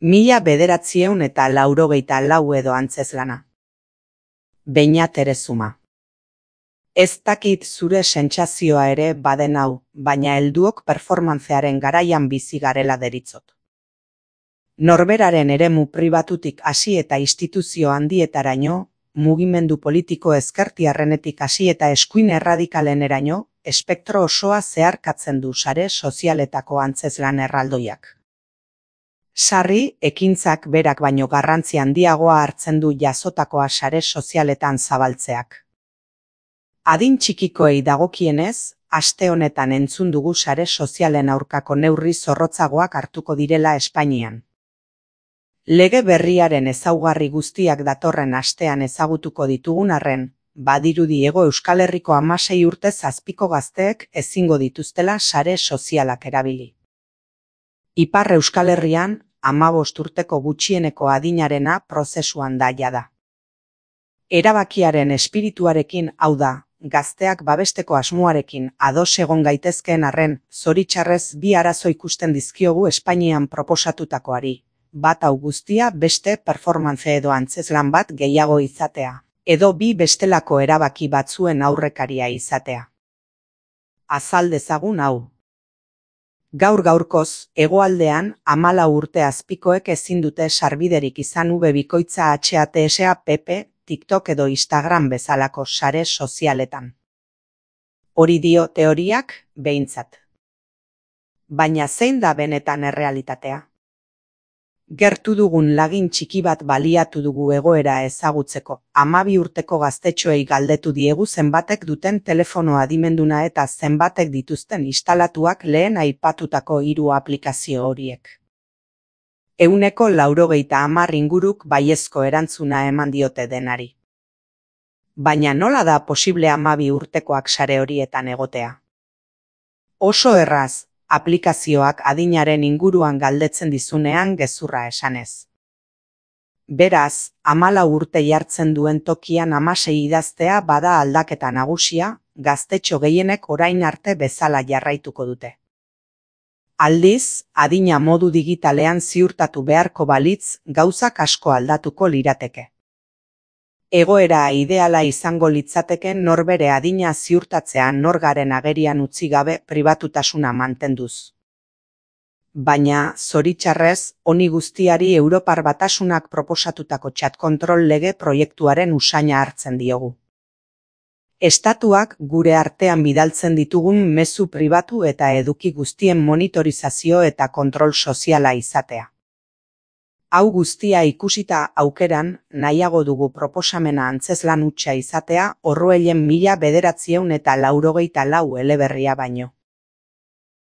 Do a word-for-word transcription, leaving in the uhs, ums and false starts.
Mila bederatziehun eta laurogeita lau edo antzezlana. Beñat Erezuma. Ez dakit zure sentsazioa ere baden hau, baina helduok performantzearen garaian bizi garela deritzot. Norberaren eremu pribatutik hasi eta instituzio handietaraino, mugimendu politiko ezkertiarrenetik hasi eta eskuin erradikaleneraino, espektro osoa zeharkatzen du sare sozialetako antzezlan erraldoiak. Sarri, ekintzak berak baino garrantzi handiagoa hartzen du jasotakoa sare sozialetan zabaltzeak. Adin txikikoei dagokienez, aste honetan entzun dugu sare sozialen aurkako neurri zorrotzagoak hartuko direla Espainian. Lege berriaren ezaugarri guztiak datorren astean ezagutuko ditugun arren, badirudi Hego Euskal Herriko hamasei urtez azpiko gazteek ezingo dituztela sare sozialak erabili. Ipar Euskal Herrian, hamabost urteko gutxieneko adinarena prozesuan da jada. Erabakiaren espirituarekin, hau da, gazteak babesteko asmoarekin ados egon gaitezkeen arren, zoritxarrez bi arazo ikusten dizkiogu Espainian proposatutakoari, bat hau guztia beste performance edo antzezlan bat gehiago izatea, edo bi bestelako erabaki batzuen aurrekaria izatea. Azal dezagun hau. Gaur gaurkoz, hegoaldean, hamalau urte azpikoek ezin dute sarbiderik izan ube bikoitza H A T S A P P, TikTok edo Instagram bezalako sare sozialetan. Hori dio teoriak, behintzat. Baina zein da benetan errealitatea? Gertu dugun lagin txiki bat baliatu dugu egoera ezagutzeko, hamabi urteko gaztetxoei galdetu diegu zenbatek duten telefono adimenduna eta zenbatek dituzten instalatuak lehen aipatutako hiru aplikazio horiek. Ehuneko laurogeita hamar inguruk baiezko erantzuna eman diote denari. Baina nola da posible hamabi urtekoak sare horietan egotea? Oso erraz, aplikazioak adinaren inguruan galdetzen dizunean gezurra esanez. Beraz, hamalau urte jartzen duen tokian hamasei idaztea bada aldaketa nagusia, gaztetxo gehienek orain arte bezala jarraituko dute. Aldiz, adina modu digitalean ziurtatu beharko balitz, gauzak asko aldatuko lirateke. Egoera ideala izango litzateken norbere adina ziurtatzean norgaren agerian utzi gabe pribatutasuna mantenduz. Baina, zoritxarrez, honi guztiari Europar Batasunak proposatutako chat kontrol lege proiektuaren usaina hartzen diogu. Estatuak gure artean bidaltzen ditugun mezu pribatu eta eduki guztien monitorizazio eta kontrol soziala izatea. Hau guztia ikusita aukeran, nahiago dugu proposamena antzezlan hutsa izatea Orruellen mila bederatziehun eta laurogeita lau eleberria baino.